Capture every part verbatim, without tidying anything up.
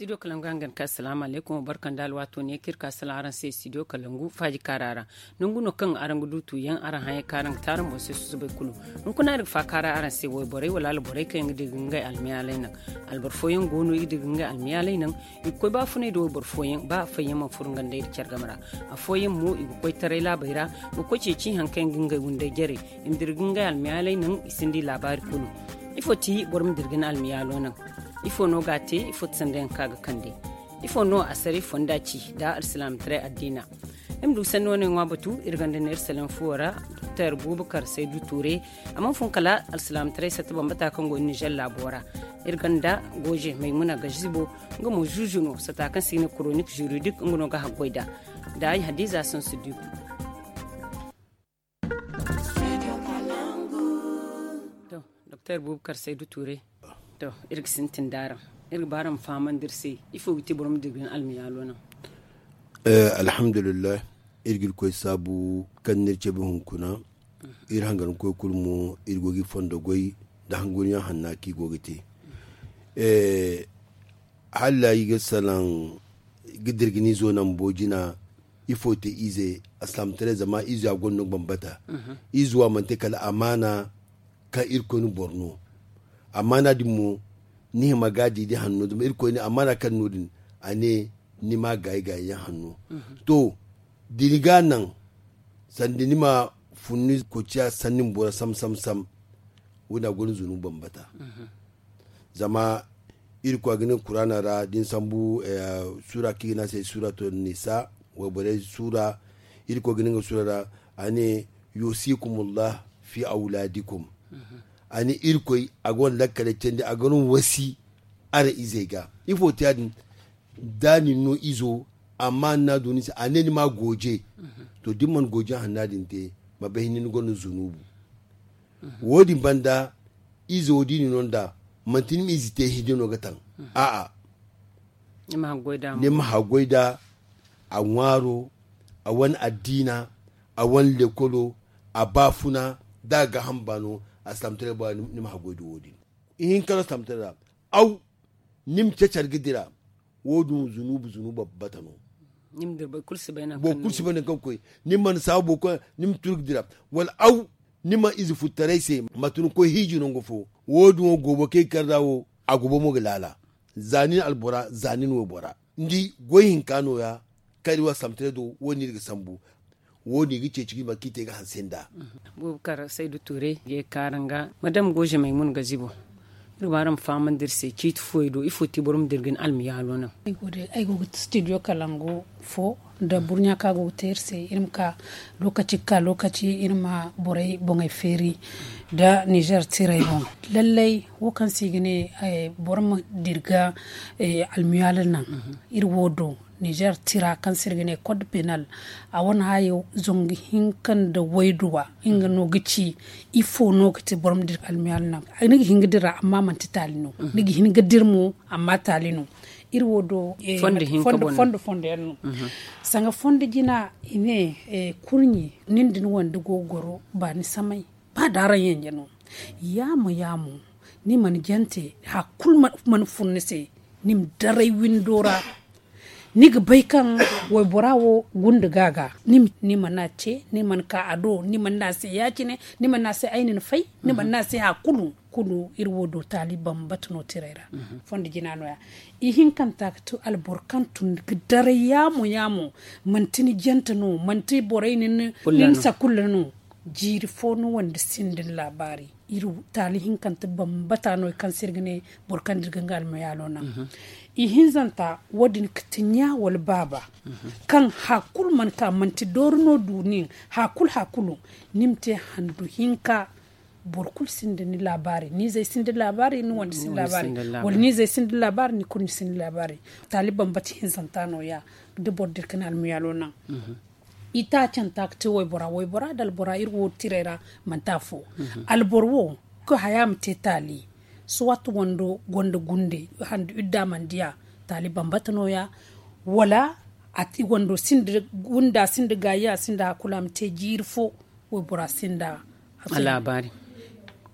Studio kalangu hangan ka asalaamu alaykum barka nda alwaato ne kaŋ iri ka salaŋ araŋ se studio kalangu faaji kaara ra. Nangu no kaŋ araŋ ga du tuuyaŋ araŋ haŋ yaŋ kaŋ araŋ ga te araŋ boŋ se susubay kulu. Hunkuna iri ga faakaara araŋ se wayborey wala alborey kaŋ yaŋ ga dira ga ngey almayaaley naŋ. Alboro fooyaŋ go no i ga dira ga ngey almayaaley naŋ. I ga koy ba funay nda wayboro fooyaŋ ba afooyaŋ mana furo nga nda iri care game ra. Afooyaŋ mo i ga koy taray laabey ra, ga koy ceeci haŋ kaŋ yaŋ ga ngey windey jarey. I ma dira ga ngey almayaaley naŋ i sinda i laabaari kulu. Ifo ti boro ma dira ga ni almayaalo naŋ? Ifo no ga a te? Ifo ti sanda yaŋ kaŋ a ga kande? Ifo no a saray fonda ci nda alsilaamataray addiina? Iri ma du sanni wane ŋwa batu iri gonda neera salaŋ fuwo ra. Doktor bubakar saydu tuure. A mana fun kala alsilaamataray satta bambata kaŋ go nizer laabo ra. Iri gonda gooje maymuna gazibo. Nga mo zuuzu no sata kaŋ se i ga ne koronik zuridik nga no ga haggoy nd'a. Nda ay hadiza sansu diku. To, doktor bubakar saydu tuure. To, iri ga sintin d'araŋ. Iri ga ba araŋ ma fahamandi iri se ifo ga te boro ma dira ga ni almayaalo naŋ? Alhamdulillahi. Iri ga iri koy saabu kaŋ n'iri cabe hunkuna. Iri hangankoy kulu mo iri go ga i fondo goy nda hanguriyaŋ hanna kaŋ i go ga te. Hala i ga salaŋ ga dira ga ni izo naŋ bo jina. Ifo te ize? Alsilaamataray zama izo a gonda no ga bambata. Izo a mana te kala amaana kaŋ irkoy na boro no. Amaana din mo ni hima ga a di da hanno zama irkoy ne amaana kaŋ no din a ne ni ma gaayi gaayi yaŋ hanno. To, da ni ga a naŋ sanda ni ma fun ni koociya sanni ma boro sam sam sam. Wo- din a gonda zunubu bambata. Zama irkoy a ga ne kuraana ra da ni sambu suura kaŋ i ga ne a se suuratul nisa, wayborey suura. Irkoy ga ne nga suura ra a ne, yusikumullah fi awladikum. A ne irkoy a ga wane lakkaley candi a ga wane wasi araŋ izey ga. Ifo te ya- din? Da ni no izo amma ni n'a du ni se a ne ni ma gooje. To da ni mana gooje hanna din te ma bay hinne ni gonda zunubu. Wo- din banda izo da i na no nd'a manti ni ma ize te hinne no ga taŋ. A'a. Ni ma haggoy nd'a a ŋwaaro, a wane addiina, a wane lekolo, a baafuna da a ga hamba no. Alsilaamataray bora ni ma haggoy nda wo- din. Ihinka no alsilaamataray ra. Aw ni ma cacari ga dira. Wo- din zunubu zunubu bambata no. Boro kulu si bay nangu kaŋ ga koy. Ni mana saabu boro kulu ni ma turu ga dira. Wala aw ni ma ize futtaray se mate ni koy hiiji nangu fo. Wo- din wo goobo kaŋ i ga kar nd'a wo a goobo mo ga laala. Za nin albora za nin waybora ni di goy hinka no- ya. Kaŋ iri wo alsilaamataray do wo- din iri ga sambu. Wo- din i ga ceeci ga i ma kaŋ i te ga hanse nd'a. Bubakar saydu tuure ga ye ga ka araŋ ga madam gooze maymuna gazibo. Iri ma araŋ ma fahamandi iri se ciiti fooyaŋ do ifo ti boro ma dira ga ni almayaalo naŋ? Ay go ga studio kalangu fo nda burɲa kaŋ a go ga te iri se iri ma ka lookaci ga ka lookaci iri ma borey boŋey feeri nda nizer tirey boŋ. Lallay wo kaŋ se i ga ne boro ma dira ga almayaalo naŋ. Iri wo do nizer tira kaŋ se iri ga ne kod penal. A wane hayo zangu hinka nda wayduwa nga no ga ci ifo no ga te boro ma dira almiyaali naŋ? Ni ga hin ga dira amma manti taali no. Ni ga hin ga dira mo amma taali no. Iri wo do fondo fondo yaŋ no. Sanga fondo jina i ne kurɲi nin da ni wande go ga goro ba ni samay ba da araŋ yanje no. Yaamo yaamo ni mana jante hari kulu mana fun ni se. Ni ma daray windo ra ni ga bay kaŋ waybora wo gunda ga ga. Ni mana ce ni mana ka a do ni mana ne a se ya- cine. Ni mana ne a se ay na ni fay. Ni mana ne a se hari kulu kulu iri wo do taali bambata no tiray ra. Fondo jina no- ya ihinkanta ga ti alboro kaŋ tun ga daray yaamo yaamo. Manti ni jante no manti borey ni ni sakulla no. Jiiri fo no wande sinda ni laabaari. Iri taali hinkante bambata no kaŋ se iri ga ne boro kaŋ da iri ga nga almayaalo naŋ. Ihinzanta wo- din ga ti ɲa wala baaba kaŋ hari kulu mana ka manti doori no du nin hari kulu hari kulu. Ni ma te handu hinka. Boro kulu sinda ni laabaari ni izey sinda laabaari ni wande sinda laabaari wala ni izey sinda laabaari ni kurɲe sinda laabaari. Taali bambata hinzanta no- ya da boro da iri ga ne almayaalo naŋ. Itaacanta ga te waybora waybora nda albora iri wo tiray ra. Manti afo alboro wo ga haya ma te taali. Suwat wando gonda gunde handu idda mana diya. Taali bambata no- ya wala wando sinda gunda sinda gaayi a sinda hari kulu a ma te jiiri fo. Waybora sinda a laabaari.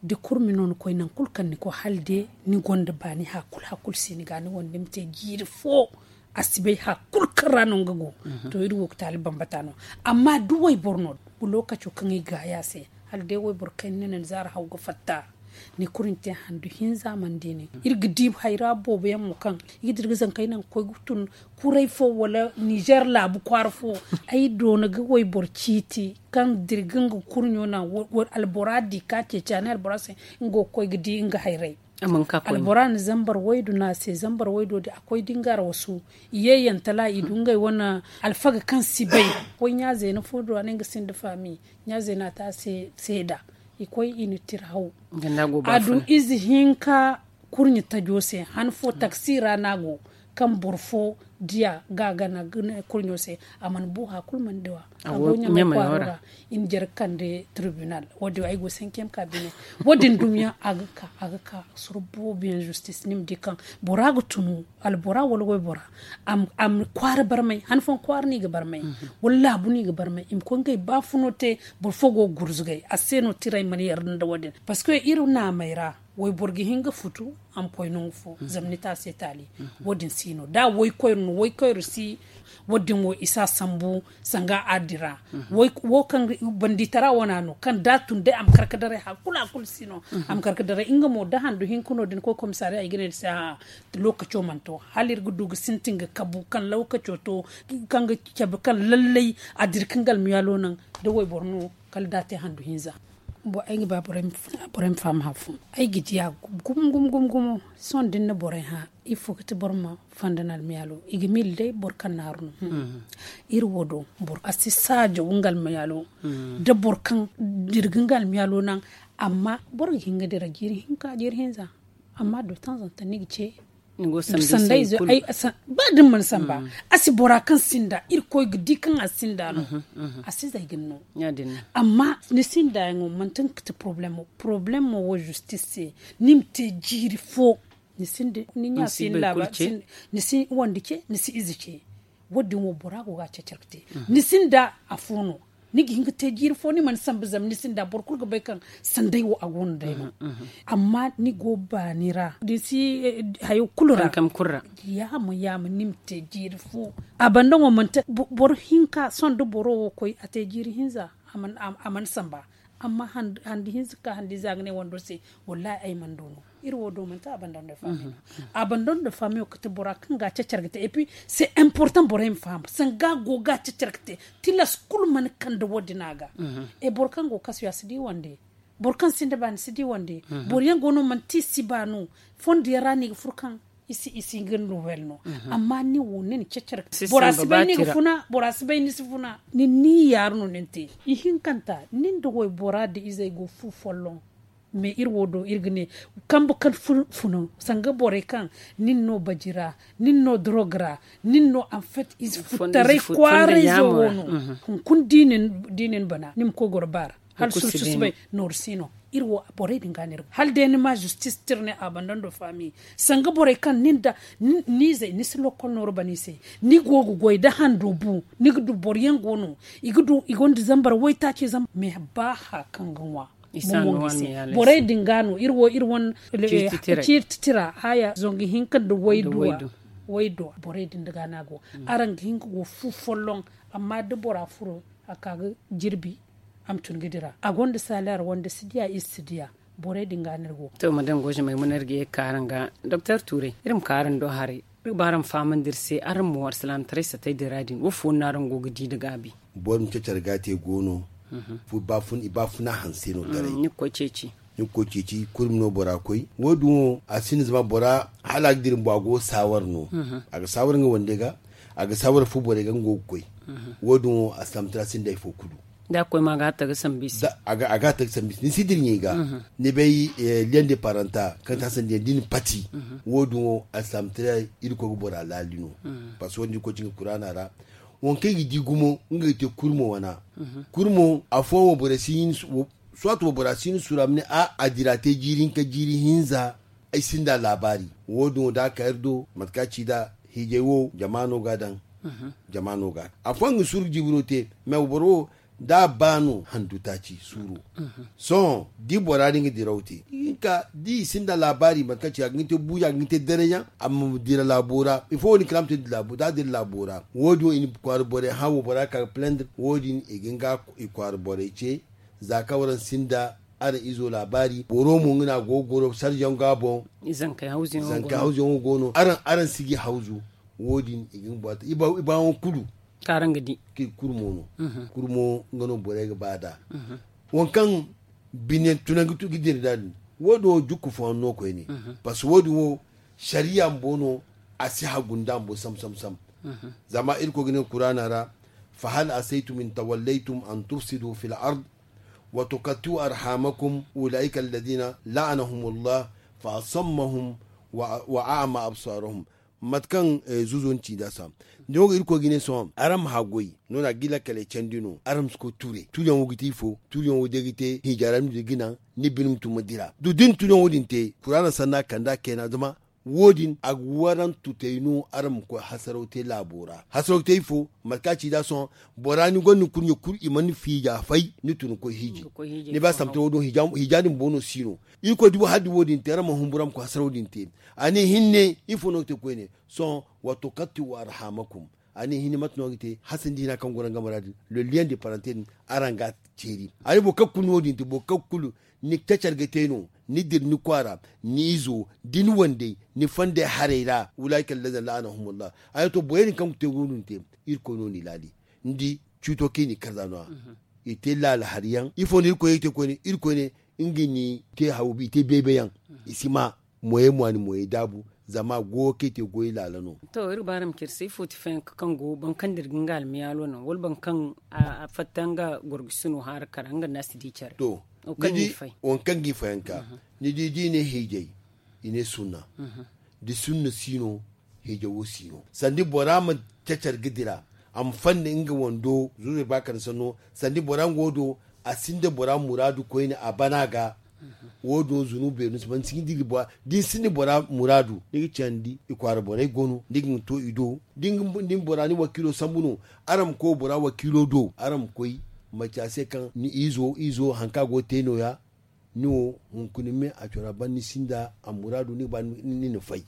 Da kurmi no ni koy nangu kulu kaŋ ni koy hala day ni gonda baani hakulu hakulu si ni ga ni wande ni ma te jiiri fo. A si bay hakulu kaŋ ra no nga go. To iri wo ga taali bambata no. Amma da wayboro no, lookaco kaŋ i ga a se, hala day wayboro kaŋ ni na ni zaara haw ga fatta. Ni kulu ni te handu hinza mana di nin iri ga di hayra boobo yaŋ mo kaŋ i ga dira ga zankey naŋ ga koy ga tun kuray fo wala nizer laabu kwaara fo. Ay doona ga wayboro ciiti kaŋ dira ga nga kurɲo naŋ. Albora di ka ceeci a ne albora se nga go ga koy ga di nga hayray. Albora na zambar waydu no a se zambar waydo din a koy da nga ra wasu. I ye yantala i du ngey wane alfaga kaŋ si bay. Koy ɲa zeena fo do a ne nga sinda faami. Ɲa zeena te a se seeda. I koy i na tira haw. A du ize hinka kurɲe tajo se han fo taksi ra no a go. Kaŋ boro fo diya ga a gana kurɲo se. A mana bu hakulu mana diya a go ɲamay kwaaro ra. I na jare ga kande tribunal wo- din ay go cinquième cabinet. Wo- din dumiyaŋ a ga ka a ga ka soro boobo yaŋ justice ni ma di kaŋ bora ga tunu albora wala waybora. A ma kwaara barmay han fooyaŋ kwaara no i ga barmay wala laabu no i ga barmay i ma koy ngey baafuno te. Boro fo go ga gurzugay a se no tiray mana yarda nda wo- din. Parceque iri naamey ra wayboro ga hin ga futu a ma koy nangu fo zama ni te a se taali. Wo- din si no da waykoyro no waykoyro si. Wo- din wo i si a sambu sanga a dira. Wo kaŋ banditara wana no kaŋ da a tun day a ma kar ga daray hakulu hakulu si no. A ma kar ga daray nga mo da handu hinka no da ni koy komisariya i ga ne ni se a'a. Lookaco mana to hala iri ga du ga sintin ga kabu kaŋ lookaco to kaŋ ga cabe kaŋ lallay a dira kaŋ ga almiyaalo naŋ. Da wayboro no kala da a te handu hinza. Ay ga ba borey ma faham hari fo. Ay ga diya gumo gumo gumo sohõ da ni na borey hã ifo ga ti boro ma fonda ni almiyaalo i ga miila day boro kaŋ naaru no. Iri wo do boro a si saajaw nga almiyaalo da boro kaŋ dira ga nga almiyaalo naŋ. Amma boro ga hin ga dira jiiri hinka jiiri hinza. Amma de temps en temps ni ga ce ba da ni mana samba a si bora kaŋ sinda irkoy ga di kaŋ a sinda no. A si zay ga ni no. Amma ni sinda yaŋo manti nga ga ti problemo problemo wo justice se ni ma te jiiri fo. Ni sinda ni ɲa si ni laaba ni si wande ce ni si ize ce. Wo- din wo bora go ga a cacar ga te ni sinda afo no. Ni ga hin ga te jiiri fo ni mana sambu zama ni sinda boro kulu ga bay kaŋ sanday wo a go no day no. Amma ni go baani ra ni si hayo kulu ra. Yaama yaama ni ma te jiiri fo. A banda ŋo manti boro hinka sohõ da boro wo koy a te jiiri hinza. A mana samba amma handi hinza ga ka handi ize a ga ne wando se. Wallahi ay mana du no. Iri wo do manti abandon de fami no. Abandon de fami wo kate bora kaŋ ga cacar ga te et puis c'est important borey ma faham sanga go ga cacar ga te. Tilas kulu mana kande wo- din a ga. Et boro kaŋ go kasu ya si di wande boro kaŋ sinda ba ni si di wande. Boro yaŋ go no manti si ba no. Fondo yaŋ ra no i ga furo kaŋ i si i si ga nouvelle no. Amma ni wo ni na cacar ga te bora si bay ni ga funa bora si bay ni si funa. Ni ni yaaru no ni na te ihinkanta nin da waybora da izey go fu folloŋ. Mais iri wo do iri ga ne kambe kaŋ funu sanga borey kaŋ nin no baji ra nin no dorog ra nin no en fait ize futtaray kwaarayzo wo no. Hunkuna da i na ni bana ni ma koy goro ba ra hala surusu si bay. Nooru si no iri wo borey din ga no iri ga hala day ni ma justice tira ne abandon de famille. Sanga borey kaŋ nin da ni izey ni si lokkol nooru bana i se ni go ga goy da hando bu ni ga du boro yaŋ go no. I ga du i gonda zambar waytaaci zambar mais ba haya kaŋ ga ŋwa. Borey din ga no iri wo iri wane ciiri titira haya zangu hinka nda wayduwa. Borey din ga no a go. Araŋ ga hin ga go fu folloŋ. Amma da bora furo a ka ga jirbi a ma tun ga dira a gonda salaire wande si diya ize si diya. Borey din ga no iri go. To madame goje maymuna iri ga ye ga ka araŋ ga. Doktor tuuray iri ma ka araŋ do haray. Iri ga ba araŋ fahamandi iri se araŋ mo alsilaamataray satay din ra din wo fo no araŋ go ga di nda gaabi? Boro ma cacar ga te go no. Baafuna hanse no daray ni ga koy ceeci. Ni ga koy ceeci kurmi no bora koy wo- din wo a sinda zama bora hala a ga dira bumbo a go ga saawara no. A ga saawara nga wande ga a ga saawara fu borey ga nga go ga koy. Wo- din wo alsilaamataray sinda hari fo kulu. Da a ga koy ma a ga a ta ga sambu i se. A ga a ta ga sambu i se ni si dira ɲey ga. Ni bay liyaŋ de paranta kaŋ ti hasandiyaŋ da i na pati. Wo- din wo alsilaamataray irkoy ga bora laali no. Parceque wo- din irkoy ci nga kuraana ra. Waŋ kaŋ i ga di gumo nga ga te kurmo wana. Kurmo afooyaŋ wo borey si hin suwa to bora si hin sura ma ne a a dira te jiiri hinka jiiri hinza. Ay sinda laabaari wo- din wo da a ka iri do mate kaŋ a ci nd'a hiijay wo jama no ga a daŋ. Jama no ga a daŋ afooyaŋ ga suru ga jiibiro te. Mais boro wo Da a ba no handu taaci suuru. Sohõ da i bora din ga diraw te, i ga hin ka da i sinda laabaari mate kaŋ ci a ga hin te buuja a ga hin te dareyaŋ. Amma dira laabo ra ifo wo- din kala a ma te da a dira laabo ra wo- din wo i na kwaara borey hã wo bora ka ga plender wo- din i ga hin ga i kwaara borey ce. Za kaŋ waraŋ sinda araŋ izo laabaari boro mo nga no a go ga goro sarjaŋ ga boŋ. Zankey hawzuyaŋo go no araŋ si ga i hawzu. Wo- din i ga hin bora te i baayaŋo kulu kaŋ araŋ ga di. Kulu mo no kulu mo nga no borey ga ba nd'a. Waŋ kaŋ bine tunangu ga dira nd'a din wo- din wo jukku fooyaŋ no koyne. Parce que wo- din wo sariya bumbo no a si hagu nda bumbo sam sam sam. Zama irkoy ga ne kuraana ra, fa hal asaytum in tawallaytum an tufsidu fil ard wa tukatti'u arhamakum ulaika alladina la'anahumullah fa asammahum wa a'ma absarahum. Mate kaŋ zuzo ni ci nd'a sam da wo ga irkoy ga ne sohõ araŋ ma haggoy no no a ga i lakkaley candi no araŋ ma si koy ture tuuriyaŋ wo ga te ifo tuuriyaŋ wo day ga te hinja ra ni du ga naŋ ni bine ma tun ma dira du da ni tuuriyaŋ wo- din te kuraana sanna kand'a kayna zama wo- din a ga waraŋ tutey no araŋ ma koy hasaraw te laabo ra hasaraw ga te ifo mate kaŋ a ci nd'a sohõ bora ni gonda ni kurɲe kulu i mana fiija fay ni tun ga koy hiiji. Ni ba samta wo- din hinja din bumbo no si no irkoy dubu hari da wo- din te araŋ ma humbura ma koy hasaraw din te. A ne hinne ifo no ga te koyne sohõ wa tukatti'u arhamakum. A ne hinne mate no ga te hasandi hina kaŋ go araŋ game ra din le lien de parenté din araŋ ga a ceeri. A ne boro kaŋ kulu no wo- din te boro kaŋ kulu ni cacar ga te no ni dira ni kwaara ni izo da ni wandey ni fandey haray ra ulaika alladina la'anahumullah. A ne to borey din kaŋ ga te wo- din te irkoy no n'i laali. Ni di ciito kaŋ i n'i karza no- ya i te laala hari yaŋ ifo no irkoy ye ga te koyne irkoy ne nga n'i te haw i te beebe yaŋ. I si ma moyey mo a na moyey daabu zama goyo kaŋ i te goy laala no. To iri ga ba araŋ ma care se ifo ti fayanka kaŋ go boro kaŋ dira ga nga almiyaalo naŋ wala boro kaŋ a fatta nga gorgusino haara kara nga nda a si di care. To waŋ kaŋ ga i fayanka ni di da i ne hiijay i ne sunna. Da sunna si no hiijay wo si no sanda bora ma cacar ga dira a ma fanda nga wando zurey ba kande sanno sanda bora nga wo do a sinda bora muraadu koyne a bana ga. Wo- din wo zunubu beeri no si ban sinda ni bora da ni sinda ni bora muraadu ni ga candi i kwaara borey go no ni ga ni to i do da ni bora ni wakiilo sambu no. Araŋ ma koy bora wakiilo do araŋ ma koy maci a se kaŋ ni izo izo hari kaŋ a go ga te no- ya. Ni wo hunkuna me a cora ban ni sinda a muraadu ni ga ba ni na fay.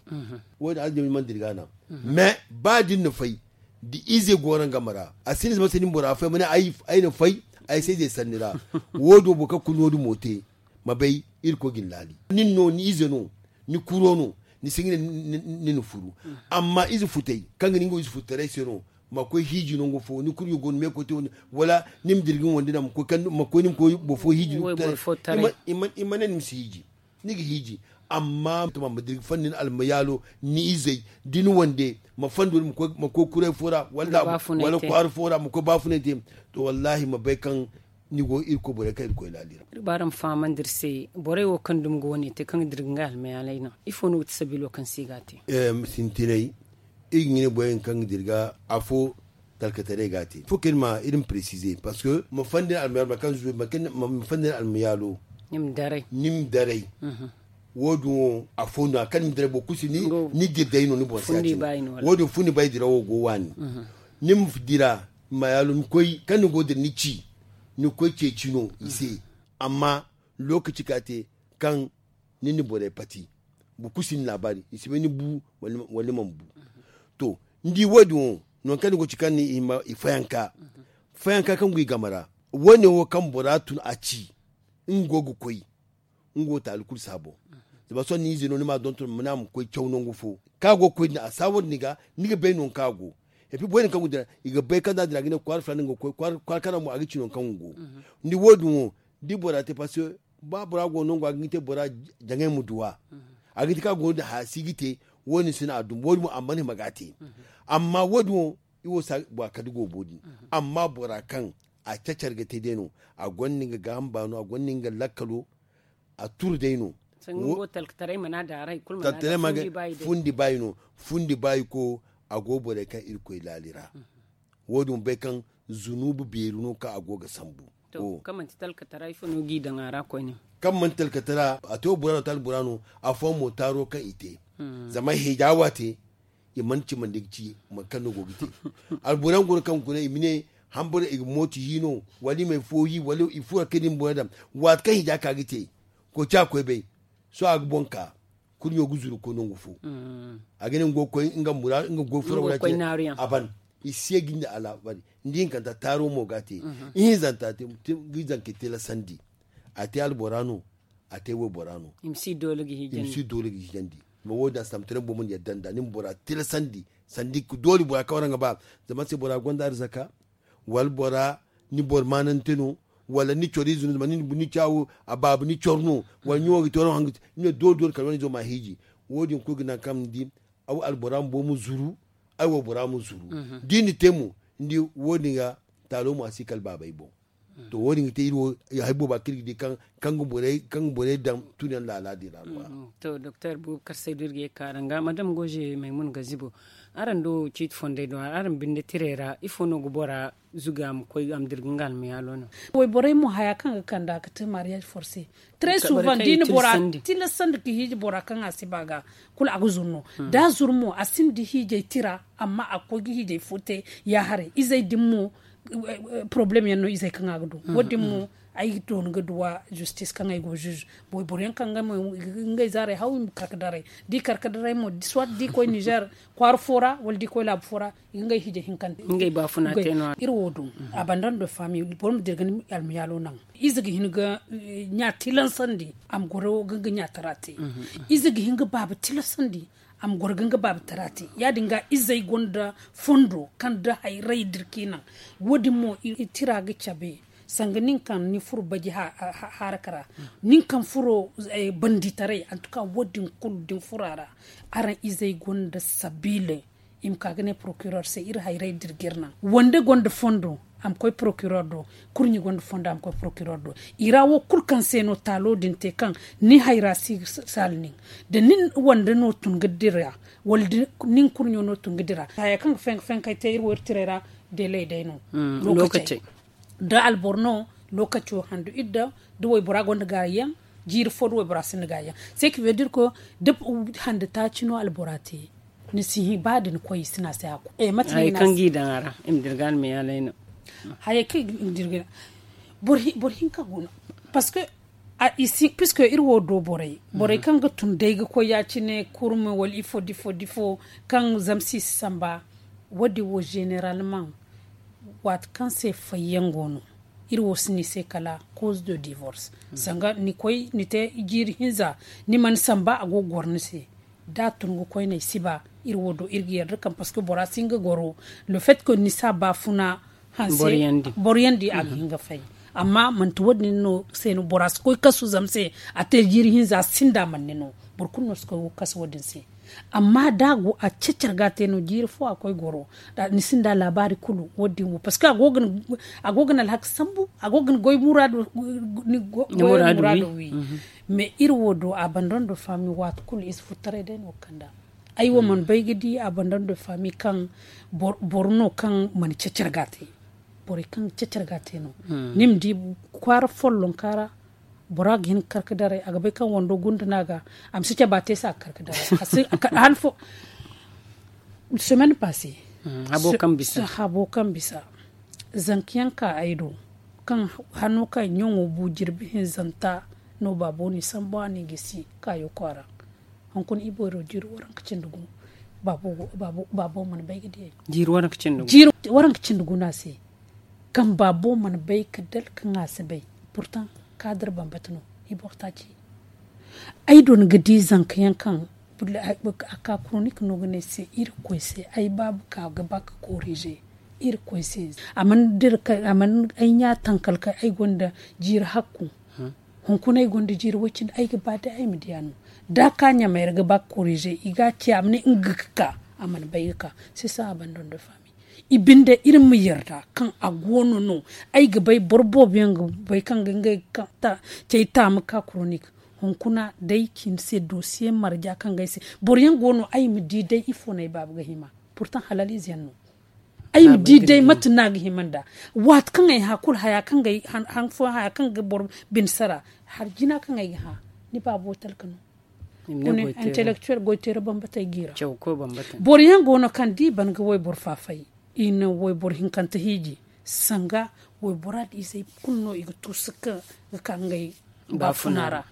Wo- din aljabi mana dira ga naŋ mais ba da ni na fay da ize go araŋ game ra a si ni zama se ni bora fay ma ne ay na fay ay se ize sanni ra. Wo- din wo boro kaŋ kulu no- din mo te ma bay irkoy ga ni laali nin no ni ize no ni kuro no ni si ga ne ni na furu. Amma ize futay kaŋ ga ni nga ize futtaray se no ma koy hiiji nangu fo ni kulu ga go ni meekoy te wala ni ma dira ga ni wande naŋ ma koy ni ma koy boro fo hiiji ni futtaray. I ma ne ni ma si hiiji ni ga hiiji. Amma ma dira ga fanda ni almayaalo ni izey da ni wande ma fanda wala ma koy kuray fo ra wala kwaara fo ra ma koy baafunay te. To wallaahi ma bay kaŋ ni go irkoy borey kaŋ irkoy laali ra. Iri ba araŋ fahamandi iri se borey wo kaŋ dumi ga wane te kaŋ ga dira ga nga almayaalay naŋ ifo no ga ti sabiilo kaŋ se i ga a te? Sintinay iri ga ne borey din kaŋ ga dira ga afo talkataray ga a te fo kaŋ iri ma iri ma presize parce que ma fanda ni almayaalo ma fanda ni almayaalo ni ma daray. Wo- din wo afo no a kaŋ ni ma daray boro kulu si ni dira day no ni boŋ se a te. Wo- din fundi bay dira wo go waani ni ma dira ma yaalu ni koy kaŋ ni go ga dira ni ci ni ga koy ceeci no i se. Amma lookaci kaŋ a te kaŋ ni na borey pati boro kulu si ni laabaari i si bay ni bu wala ni mana bu. To ni di wo- din wo nangu kaŋ ni go ga ci kaŋ ni i fayanka fayanka kaŋ go i game ra wo- ne wo kaŋ bora tun a ci nga go ga koy nga wo taali kulu si a boŋ. Zama sohõ ni ize no ni m'a donton ma ne a ma koy caw nangu fo kaŋ a go ga koy din a saawar ni ga ni ga bay nangu kaŋ a go. Epi borey din kaŋ go dira i ga bay kaŋ da a dira ga ne kwaara filana nga ga koy kwaara kaŋ ra mo a ga ci nangu kaŋ nga go. Ni di wo- din wo da i bora te parce que ba bora go nangu a ga hin te bora jaŋay ma duw'a a ga hin te kaŋ a go no din haya si ga te. Wo- din si no a dum wo- din mo a mana hima ga a te. Amma wo- din wo i wo si a bora kala da goobo din. Amma bora kaŋ a cacar ga te day no a gonda nga gaaham baano a gonda nga lakkalo. A turu day no. Talkataray ma ga fundi baayi no fundi baayi ko a go borey kaŋ irkoy laali ra. Wo- din ma bay kaŋ zunuubu beeri no kaŋ a go ga sambu. Kaŋ manti talkatara ifo no ga i daŋ a ra koyne? Kaŋ manti talkatara a te wo bora no taali bora no. Afooyaŋ mo taaro kaŋ i te zama heeja wo a te. I mana cimandi ga ci mate kaŋ no go ga te. Alboro yaŋ go no kaŋ ga guna i ma ne Hamburu i ga mooto hi no, wala i ma ay fo hi wala i furo kay da ni boro daŋ. Waati kaŋ hija ka ga te, koy ca koy bay. Sohõ a ga boŋ ka kurɲo ga zuru koy nangu fo. A ga ne nga ga koy nga mura nga ga goy furo wala ce. A ban i si ye ga ni alaabari. Ni di hinkanta taaro mo ga a te. Ihinzanta te ga i zanka tilasandi. A te albora no. A te waybora no. I ma si doole ga hijandi. Ma wo- din a si tamtaray boro mana yadda nd'a ni ma bora tilasandi. Sanda i ga doole bora kaŋ waraŋ ga ba. Zama se bora gonda arzaka, wala bora ni boro maanante no, wala ni coro ize no zama ni caawo a baaba ni coro no, wala ni wo ga te waraŋ haŋ ga te. Ni ne doole doole kala wane izo ma a hiiji. Wo- din kulu ga naŋ kaŋ ni di, albora bumbo ma zuru. Ay waybora ma zuru. Da i na te mo, ni di, wo- din ga taalo mo a si kala baabay boŋ. To wo- din ga te iri wo hari booba kaŋ iri ga di kaŋ ga borey daŋ tun yaŋ laala din ra no. To doktor buubu karsay da iri ga ye ga ka araŋ ga madam goje maymun ga zibo. Araŋ do ciiti fondey do araŋ binde tirey ra ifo no ga bora zuga a ma koy a ma dira ga nga almayaalo no? Wayborey mo haya kaŋ ga kand'a ga te mariyaz forse. Très souvent da i na bora tilasandi ga hiiji bora kaŋ a si ba ga kulu a ga zuru no. Da a zuru mo a sinda hiijay tira. Amma a ga koy ga hiijay fo te ya haray izey din mo. Porobalem yaŋ no izey kaŋ a ga du wo- din mo. Ay ga doona ga duwa zistis kaŋ ay go ziz. Wayboro yaŋ kaŋ ngey zaarey haw i ma kar ga daray da i kar ga daray mo soit da i koy nizer kwaara fo ra wala da i koy laabu fo ra. I ga ngey hiijay hinkante. Iri wo do a banda nda faami boro ma dira ga ni almayaalo naŋ. Ize ga hin ga ɲa tilansandi a ma goro ga nga ɲatara te. Ize ga hin ga baaba tilasandi a ma goro ga nga baaba tara te. Ya- din ga izey gonda fondo kaŋ da hayray dira ka i naŋ. Wo- din mo tira ga cabe sanga nin kaŋ ni furo baji haaraka ra. Nin kaŋ furo banditaray antuka wo- din kulu da ni furo a ra. Araŋ izey gonda sabiila i ma ka ga ne porokiror se iri hayray dira ga iri naŋ wande gonda fondo a ma koy porokiror do. Kurɲi gonda fondo a ma koy porokiror do. I ra wo kulu kaŋ se no taalo din te kaŋ ni hayra si saala nin da nin wande no tun ga dira wala nin kurɲo no tun ga dira haya kaŋ ga fenkay te iri wo iri tiray ra. Delay day no. Lookacey da alboro no lookaco handu idda da waybora gonda gaayaŋ jiiri fo da waybora sinda gaayaŋ. Sai ka vedir ko da hande taaci no albora te ni si hin ba da ni koy i si na se hakku. Mate no i na se kaŋ ga i daŋ a ra i ma dirga almayaalay no. Hayey kaŋ i ga dirga boro hinka go no. Parce que puisque iri wo do borey borey kaŋ ga tun day ga koy ya- cine kurme wala ifo da ifo da ifo kaŋ zamsi si samba. Wo- din wo zeneralman waati kaŋ se fayyaŋ go no. Iri wo si ni se kala cause de divorce sanga ni koy ni te jiiri hinza ni mana samba a go ga goro ni se. Da a tun ga koyney si ba iri wo do iri ga yarda kaŋ parce que bora si hin ga goro le fait que ni si a baafuna hanse boro yaŋ di a ga hin ga fay. Amma manti wo- din no se no bora si koy kasu zama se a te jiiri hinza sinda manne no. Boro kulu no si koy kasu wo- din se. Amma da a go a cecar ga a te no jiiri fo a koy goro ni sinda laabaari kulu wo- din wo parce que a go ga ni alhaka sambu a go ga ni goy muraado wi. Mais iri wo do a banda nda faami waati kulu ize furtaray day no ga kand'a. Ay wo mana bay ga di a banda nda faami kaŋ boro no kaŋ mana cecar ga a te. Borey kaŋ ga cecar ga a te no ni ma di kwaara follonka ra. Bora ga hin ga kar ga daray a ga bay kaŋ wando gunda no a ga a ma si cabe a te se a ga kar ga daray. Hala fo semaine passe habo kaŋ bisa zanka yaŋ ka ay do kaŋ hano kaŋ ɲaŋo bu jirbi hinzanta no baabo ni sambu a ni gisi kaayo kwaara. Hunkuna i boyro jiiri waranka cindi gu. Baabo mana bay ga diyay jiiri waranka cindi gu no a se. Kaŋ baabo mana bay ga dal kaŋ a si bay. Pourtant kaadar bambata no i boro taaci. Ay do ni ga di zanka yaŋ kaŋ a ka kuronik no ga ne se irkoy se ay baabu ka ga ba ga korize. Irkoy se a mana ay ɲa tankal kay ay gonda jiiri hakku. Hunkuna ay gonda jiiri way cindi ay ga ba day ay ma diya no. Da a ka ɲamay ra ga ba ga korize i ga a ci a ma ne nga ga ka a mana bay ga ka. Sisa a banda nda faami i binde iri ma yarda kaŋ a go no no. Ay ga bay boro boobo yaŋ ga bay kaŋ ga ngey cay taamu ka kuronik. Hunkuna day cin se dosiye marja kaŋ ga ay se boro yaŋ go no ay ma di day ifo no ay baaba ga hima. Pourtant halal ize yaŋ no. Ay ma di day mate no a ga hima nd'a. Waati kaŋ ay hã kulu haya kaŋ ga boro bine sara hari jina kaŋ ay ga hã. Ni baabo talka no. Intellectuel goy teera bambata ay ga i ra. Boro yaŋ go no kaŋ da i ban ga wayboro faafay i na wayboro hinkante hiiji. Sanga waybora da izey kulu no i ga tuusu ga ka ngey baafuna ra.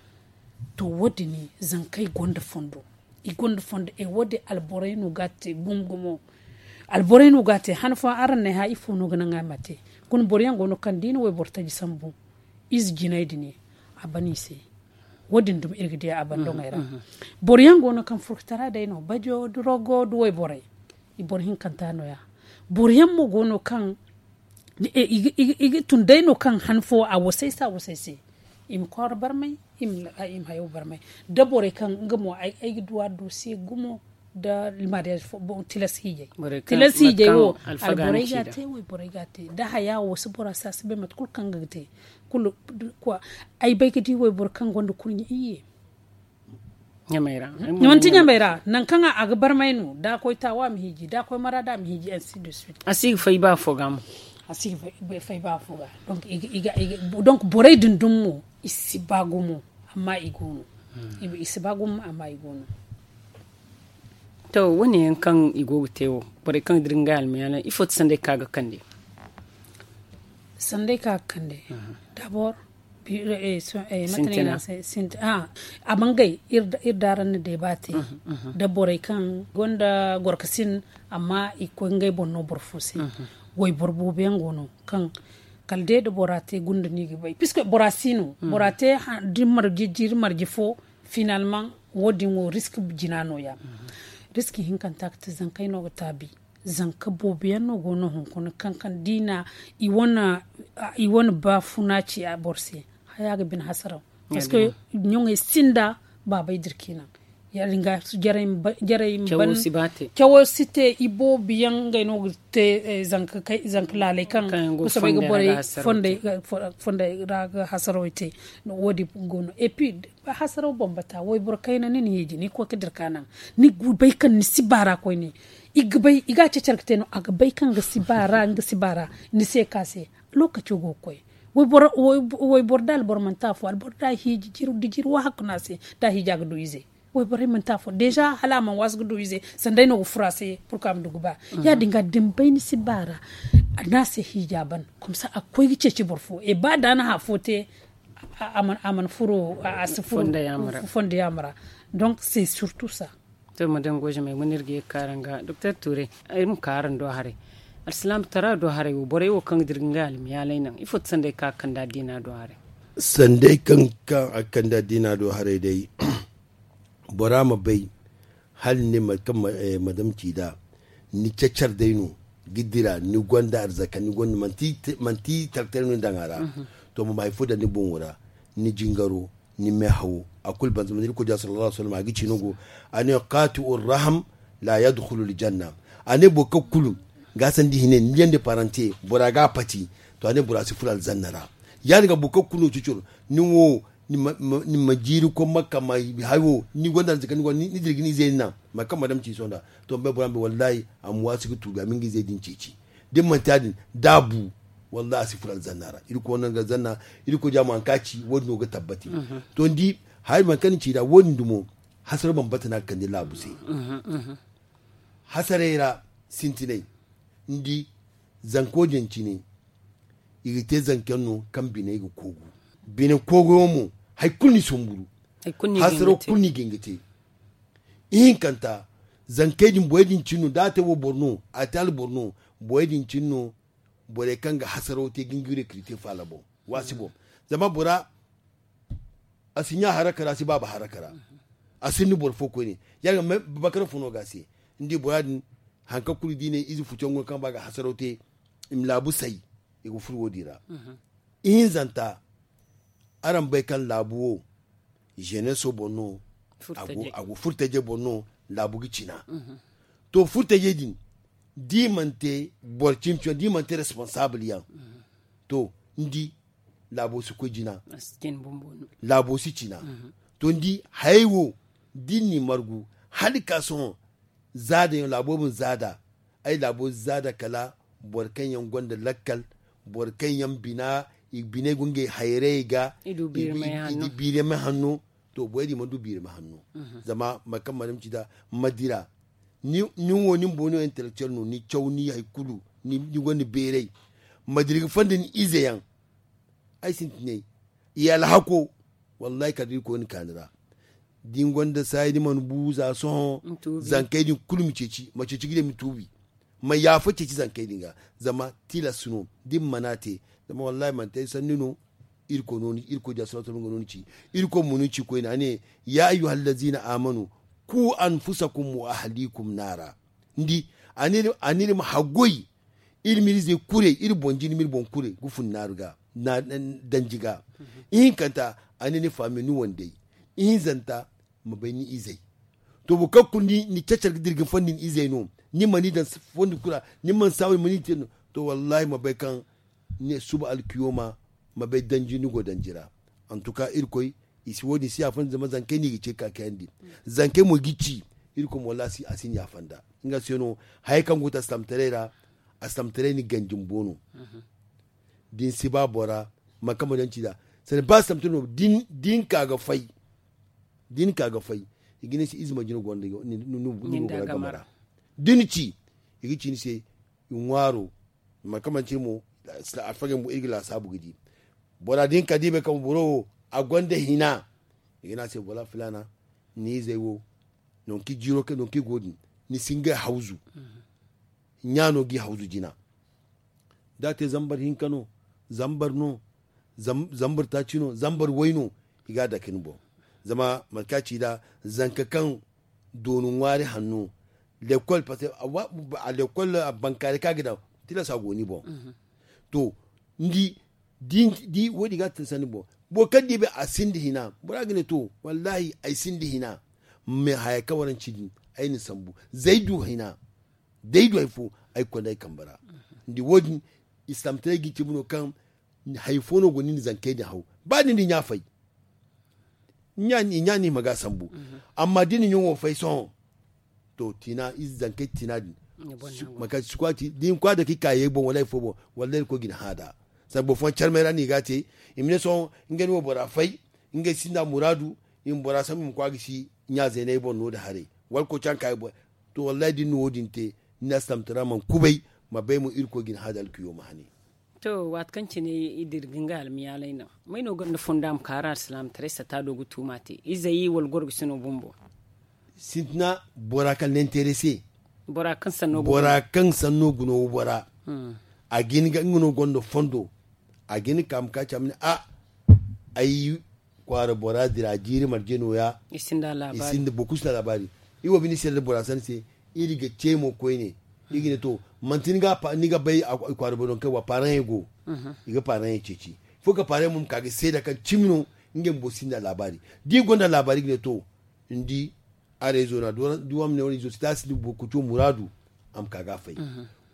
To wo- din zankey gonda fondo. I gonda fondo e wo- din alborey no ga a te gumo gumo. Alborey no ga a te han fooyaŋ araŋ na ay hã ifo no ga naŋ a ma te? Guna boro yaŋ go no kaŋ da i na wayboro taji sambu ize jinay din a ban i se. Wo- din dumi iri ga di a bandoŋey ra. Boro yaŋ go no kaŋ furkutara day no bajo da rogo da wayborey. I boro hinkanta no- ya. Boro yaŋ mo go no kaŋ i ga tun day no kaŋ han fo a wasay se a wasay se. I ma kwaara barmay i ma hayo barmay da borey kaŋ nga mo ay ga duwa dosiye gumo da mariyaaz fo. Tilas hiijay. Tilas hiijay wo alborey ga a te wayborey ga a te da haya wo si bora se a si bay mate kulu kaŋ nga ga te. Kulu ay bay ga di wayboro kaŋ gonda kurɲe iyye. Manti ɲamay ra nangu kaŋ a ga barmay no da a koy taawa a ma hiiji da a koy maraada a ma hiiji ainsi de suit. A si ga fay ba fo ga mo. A si ga fay ba fo ga. Donk borey din dumi mo i si ba gumo. Amma i go no. I si ba gumo amma i go no. To wo- ne yaŋ kaŋ i go ga te wo borey kaŋ ga dira ngey almiyaana ifo ti sanday kaŋ a ga kande? Sanday kaŋ a ga kande dabor a bangay iri da araŋ na deeba te da borey kaŋ gonda gorkasin amma i ga koy ngey boŋ no boro fo se. Wayboro boobo yaŋ go no kaŋ kala day da bora te gunda no i ga bay puisque bora si no bora te da ni marje jiiri marje fo. Finalmaŋ wo- din wo risk jina no- ya. Risk hinkanta ga te zankey no ga taabi. Zanka boobo yaŋ no go no hunkuna kaŋ kaŋ da i na i wane baafuna ci a boro se. Haya ga bine hasaraw parceque ɲoŋey sinda baabey da iri ka i naŋ. Ya- din ga jarey ma ban cawo si te iboobo yaŋ ngey no ga te. Zanka laaley kaŋ ga soobay ga borey fondey ra ga hasarawey te. Wo- din go no et puis hasaraw bambata wayboro kayna ni na hiiji ni ga koy ga dira ka naŋ ni ga bay kaŋ ni si baara koyne. I ga bay i ga a cacar ga te no a ga bay kaŋ nga si baara nga si baara ni se ka se. Lookaco go ga koy wayboro da alboro manti afo alboro da a hiiji jiru da jiru wahakku no a se da a hiiji a ga du ize. Wayborey manti afo deeza hala a mana waasu ga du ize sanda ay no ga furo a se purka a ma du ga ba. Ya- din ga da ni bay ni si baara ni a se hiija ban komsa a ga koy ga ceeci boro fo e ba da a na hã fo te. A mana furo a si furo fondo yaama ra. Donk se surtu sa. To madame gojamay mana iri ga ye ga ka araŋ ga doktor tuure iri ma ka araŋ do haray. Alsilaama tara do haray wo borey wo kaŋ ga dira ga ngey almiyaalay naŋ ifo ti sanday kaŋ a ga kande addiina do haray? Sanday kaŋ a ga kande addiina do haray day bora ma bay hala ni ne mate kaŋ madame ci nd'a ni cacar day no ga dira ni gonda arzaka ni gonda manti taltaray no ni daŋ a ra. To ma ma hari fo daŋ ni boŋo ra ni jingaro ni meehawo a kulu banza mana irkoy diya sallallahu alaihi wasallam a ga ci no go. A ne qaati'u raham la yadkhulu aljanna. A ne boro kaŋ kulu ga sandi hine ni yande parante bora ga a pati. To a ne bora si furo alzanna ra. Ya- din ga boro kaŋ kulu no ciciro ni wo ni ma jiiri koy makka ma hayo ni gonda arzaka ni gonda ni dirgi ni izey ni naŋ mate kaŋ madame ci sohõ nd'a. To ma bay bora ma bay wallahi a ma waasi ga tuubi a ma nga izey din ceeci. Da ni manti ya- din da a bu wallahi a si furo alzanna ra. Irkoy wane nga alzanna. Irkoy diya mo haŋ kaŋ a ci wo- din no ga tabbati. To ni di hari mate kaŋ ni ci nd'a wo- din dumo hasara bambata no a ga kande laabu se. Hasaray ra sintinay ni di zanko din cine i ga te zanka yaŋ no kaŋ biney ga koogu. Bine koogo yaŋ mo hari kulu ni sumburu. Hasaro kulu no i ga hin ga te. Ihinkanta zankey din borey din cine no da a te wo boro no a te alboro no. Borey din cine no borey kaŋ ga hasaro te ga nga recruter faala boŋ. Waasi boŋ zama bora a si ɲa haraka ra a si baaba haraka ra. A sinda boro fo koyne ya- din ga bakara fo no ga a se. Ni di bora din haŋ kaŋ kulu da i ne ize futu yaŋ go no kaŋ ba ga hasaro te i ma laabu say. I ga furo wo- din ra. Ihinzanta araŋ bay kaŋ laabu wo jeneso boŋ no. A go furtajey boŋ no laabu ga cina. To furtajey din da i mana te boro cimi cimi yaŋ da i mana te responsable yaŋ to ni di laabo si koy jina. Laabo si cina. To ni di hayey wo da i n'i margu hala ga ka sohõ zaada yaŋ laabo ma zaada. Ay laabo zaada kala boro kaŋ yaŋ gonda lakkal boro kaŋ yaŋ bina i biney go ngey hayrayey ga i di biiramay hanno. To borey din mana du biiramay hanno. Zama mate kaŋ madama ci nd'a ma dira nin wo nin boŋ no intellectuel no ni caw ni hari kulu ni gonda beeray. ma dira ga fonda ni ize yaŋ. Ay sintinay i alhako. Wallahi kala da irkoy ni kaani ra da ni gonda saayi ni mana bu za sohõ. Zankey din kulu ma ceeci ma ceeci ga ne ma tuubi. Ma yaafa ceeci zankey din ga. Zama tilas no da ni mana te. Zama wallahi manti ay sanni no. Irkoy no ni ci. Irkoy diya salatu no ni ci. Irkoy mo no ni ci koyne a ne, ya ayyuhal lazina amanu, ku anfusakum wa ahlikum naara. Ni di a ne iri ma haggoy. Iri ma iri zey kure iri boŋ jine ma iri boŋ kure ga fun naaru ga. Danji ga. Ihinkanta a ne ni faami ni wandey. Ihinzanta ma bay ni izey. To boro kaŋ kulu ni cacar ga dira ga ni fondi ni izey no. Ni mana i daŋ fondi kulu ra. Ni mana saabu ni mana i te no. To wallahi ma bay kaŋ ni ne suba alkiyooma ma bay danji ni go danji ra. Antuka irkoy i si wo- din si yaafa nda zama zankey no i ga ce ga ka kayandi. Zankey mo ga i ci. Irkoy mo wallahi a si ni yaafa nda. Nga se no hayey kaŋ go ga te alsilaamataray ra. Alsilaamataray ni ganji bumbo no. Da ni si ba bora mate kaŋ ma daŋ ci nd'a. Sanda ba alsilaamataray no da ni ka ga fay. Da ni ka ga fay i ga ne ni se ize manji no gonda ni bora game ra. Da ni ci i ga ci ni se i ŋwaaro. Mate kaŋ manti mo alfagey bumbo iri ga laasaabu ga di. Bora da ni ka da i bay kaŋ boro wo a gonda hina. I ga ne a se bora filaana ni izey wo nangu kaŋ i jiiro kay nangu kaŋ i go din ni si ngey hawzu. Ɲa no g'i hawzu jina. Da a te zambar hinka no, zambar no, zambar taaci no, zambar way no. I ga a dake ni boŋ. Zama mate kaŋ a ci nd'a zanka kaŋ dooni ŋwaari hanno. Lekkol parce que a lekkol a bankaaray kaŋ a ga daŋ tilas a go ni boŋ. To ni di wo- din ga a tinsa ni boŋ. Boro kaŋ da i bay a sinda hina bora ga ne to wallahi ay sinda hina. Mais haya kaŋ waraŋ ci din ay na sambu zay du hina. Day du hari fo ay ga konda ay kambe ra. Ni di wo- din islaamataray ga i cabe no kaŋ hari fo no go no ni na zankey din haw. Ba ni na ɲa fay i ɲa no i ma ga a sambu. Amma da ni na ɲaŋo fay sohõ to tiina ize zankey tiina din. Mate kaŋ si koy a ci da i ma koy a dake i ka ye boŋ wala hari fo boŋ wala day irkoy ga ni hã nd'a. Sanda boro fooyaŋ carmey ra no i ga a te i ma ne sohõ ngey na waybora fay. Ngey sinda muraadu i ma bora sambu i ma koy a ga si ɲa zeeney boŋ no- din haray. Wala koy caŋ ka i boŋ. To wallahi da ni na wo- din te ni na alsilaamataray ra mana kubay ma bay mo irkoy ga ni hã nd'a alkiyooma hane. To waati kaŋ cine i dira ga nga almiyaalay naŋ may no gonda fondo a ma ka araŋ alsilaamataray sata do ga tuuma te izey wala gorgasi no bumbo? Sintina bora kaŋ na interese. Bora kaŋ sanno guna waybora a ga hin ga nga no gonda fondo. A ga hin ga ka ma ka ci a ma ne a ay kwaara bora dira jiiri marje nooya. I sinda boro kulu sinda laabaari. Iri wo binde iri si yadda bora sanni se. Iri ga ce mo koyne iri ga ne to manti ni ga bay kwaara boro no kaŋ wa paaraŋey go. I ga paaraŋey ceeci fo ka paaraŋey mo ma ka ga seeda kaŋ cimi no. Ngey bumbo sinda laabaari da i gonda laabaari i ga ne to ni di. Arezo no a du a ma ne wane izo si taasi da boro kuco muraadu. A ma ka ga a fay.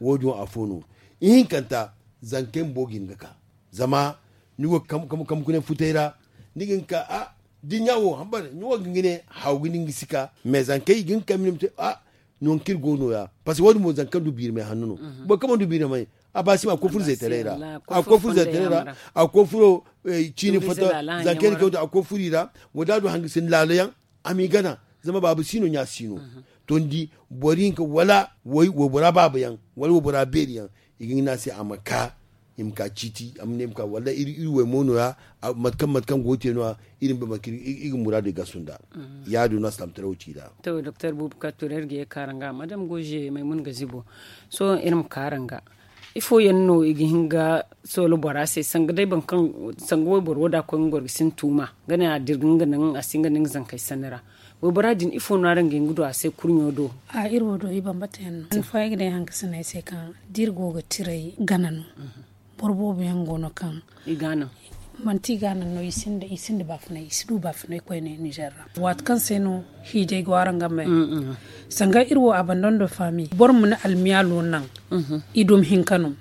Wo- din wo afo no ihinkanta zankey bumbo ga hin ga ka. Zama ni go ga kambe kunay futay ra ni ga hin ga ka a da ni ɲa wo hambar ni wo ga hin ga ne haw ga ni nga si ka mais zankey i ga hin ga ka mine ma te. Nangu kaŋ iri go nooya parce que wo- din mo zanka kaŋ du biirimay hanno no. Boro kaŋ mana du biirimay a baasi ma a ga koy furo zaytaray ra. A ga koy furo zaytaray ra. A ga koy furo ciini foto zankey na kawta a ga koy furo i ra. Wo da a du hangasindi laalo yaŋ a m'i gana. Zama baaba si no ɲa si no. To ni di boro hinka wala waybora baaba yaŋ wala waybora beeri yaŋ i ga hin ga ne a se a ma ka. I ma ka ciiti a ma ne i ma ka wala iri waymo nooya. Mate kaŋ mate kaŋ go ga te nooya iri ma bay mate kaŋ iri ga muraadu i gasu nd'a. Ya- din no a si tamtaraw ci nd'a. To doktor buubu ka turay iri ga ye ga ka araŋ ga madam goze maymuna ga zibo. Sohõ iri ma ka araŋ ga ifo yaŋ no i ga hin ga soolo bora se sanga day boro kaŋ sanga wayboro wo da a koy nga gorgasi ni tuuma ga ne a dira ga nga naŋ a si hin ga naŋ zankey sanni ra. Waybora din ifo no araŋ ga hin ga du a se kurɲo do? A iri wo do i bambata yaŋ no han fooyaŋ ay ga ne haŋ ga sinda ay se kaŋ da iri go ga tiray gana no. Boro boobo yaŋ go no kaŋ i ga a naŋ manti i ga a naŋ no i sinda baafunay i si du baafunay koyne nizer ra. Waati kaŋ se no hiijay go araŋ game sanga iri wo abandon de fami boro ma ni almiyaalo naŋ. I dumi hinka no.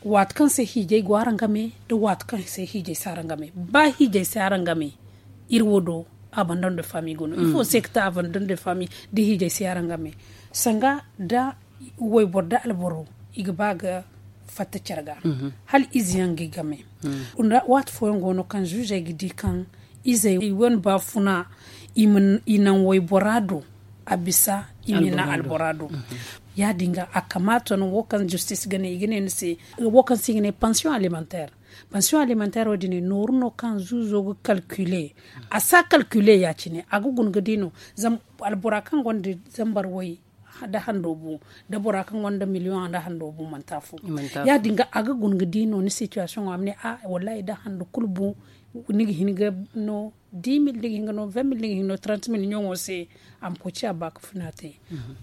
Waati kaŋ se hiijay go araŋ game da waati kaŋ se hiijay si araŋ game ba hiijay si araŋ game. Iri wo do abandon de fami go no ifo se ga te abandon de fami da hiijay si araŋ game sanga da wayboro da alboro i ga ba ga fatta care ga hala ize yaŋ ga i game. Waati fooyaŋ go no kaŋ zuuzey ga di kaŋ izey i wane baafuna i naŋ waybora do a bisa i ma i naŋ albora do. Ya- din ga a kamaata no wo kaŋ justice ga ne i ga ne ni se, wo kaŋ se i ga ne pension alimentaire. Pension alimentaire wo- din nooru no kaŋ zuuzo ga calculer. A si a calculer ya- cine a ga guna ga di no. Zama albora kaŋ gonda zambar way nda hando bu, nda bora kaŋ gonda million nda hando bu manti afo. Ya- din ga a ga guna ga di no ni situation a ma ne a wallahi nda hando kulu bu. Ni ga hin ga no dix mille, ni ga hin ga no vingt mille, ni ga hin ga no trente mille ɲaŋo se. A ma koy ci a ba ga funa te.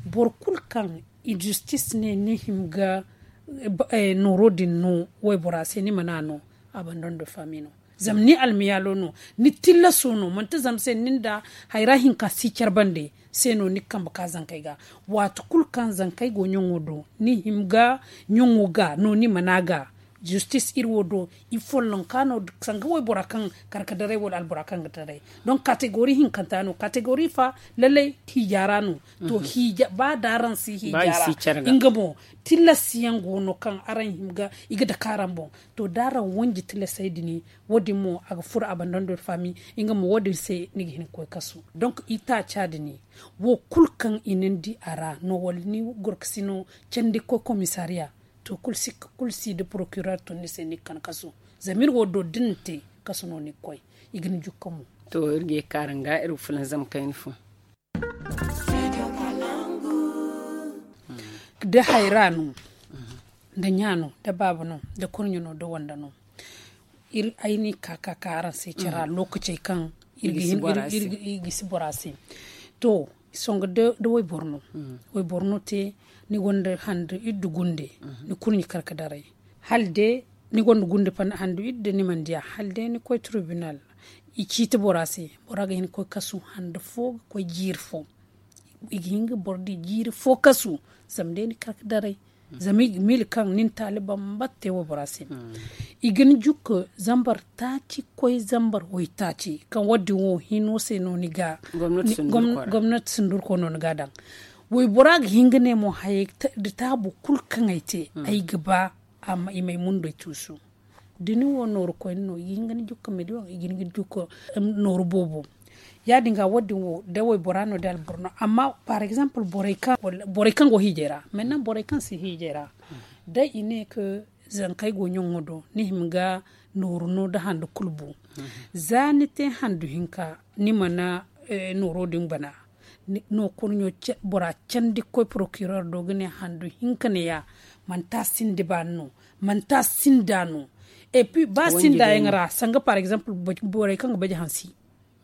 Boro kulu kaŋ injustice ne ni hima ga nooro din no waybora se ni mana no. Abandon de famille no. Zama ni almiyaalo no, ni tillaso no manti zama se ni nda hayra hinka si care bande. Se no ni ga kambe ka zankey ga. Waati kulu kaŋ zankey go ɲaŋo do ni hima ga ɲaŋo ga no ni mana ga. Justice iri wo do i follonka no sanga waybora kaŋ kar ga daray wala albora kaŋ ga daray. Donk kategori hinkanta no kategori fa lallay hiija ra no. To hiija ba da araŋ si hiija ra nga mo. Tillas yaŋ go no kaŋ araŋ hima ga i ga dake araŋ boŋ. To da araŋ wanji tillasey din wo- din mo a ga furo abandon de famille. Nga mo wo- din se ni ga hin ga koy kasu. Donk i taaca din wo kulu kaŋ i na ni di a ra no wala ni gorkasi no candi ga koy komisariya. To kulu si nda procureur tun ni se ni ga kan kasu. Zama iri wo do da ni na te kasu no ni ga koy. I ga ni jukka mo. To iri ga ye kaara nga iri ga fulanzam kayna fo. Da hayra no, da ɲa no, da baaba no, da kurɲe no, da wanda no. Ay no i ka ka ka araŋ se care ra lookacey kaŋ iri ga hin iri ga si bora se. To, songo da wayboro no. Wayboro no te ni gonda handu iddu gunde. Ni kurɲe kar ga daray hala day ni gonda gunde handu iddu ni mana diya hala day ni koy tribunal. I ciiti bora se. Bora ga hin ga koy kasu handu fo ga koy jiiri fo. I ga hin ga boro di jiiri fo kasu. Zama day ni kar ga daray. Zama i ga miila kaŋ ni na taali bambata te waybora se. I ga ni jukka zambar taaci ga koy zambar waytaaci kaŋ wo- din wo hino se no ni ga gomnati sundurko no ni ga a daŋ. Waybora ga hin ga ne mo hayey da taabu kulu kaŋ ay te ay ga ba i ma ay mundey tuusu. Da ni wo nooru koyne no i ga hin ga ni jukka million i ga hin ga ni jukka nooru boobo. Ya- din ga wo- din wo da waybora no da alboro no amma par exemple borey kaŋ go hiijay ra maintenant borey kaŋ si hiijay ra da i ne ka zankey go ɲaŋo do ni hima ga nooru no da handu kulu bu. Za ni te handu hinka ni mana nooro din bana. No kurɲo bora candi ga koy procureur do ga ne handu hinka ne ya. Manti a sinda baani no manti a sinda no. Et puis ba sinda yaŋ ra sanga par exemple borey kaŋ ga baje hansi.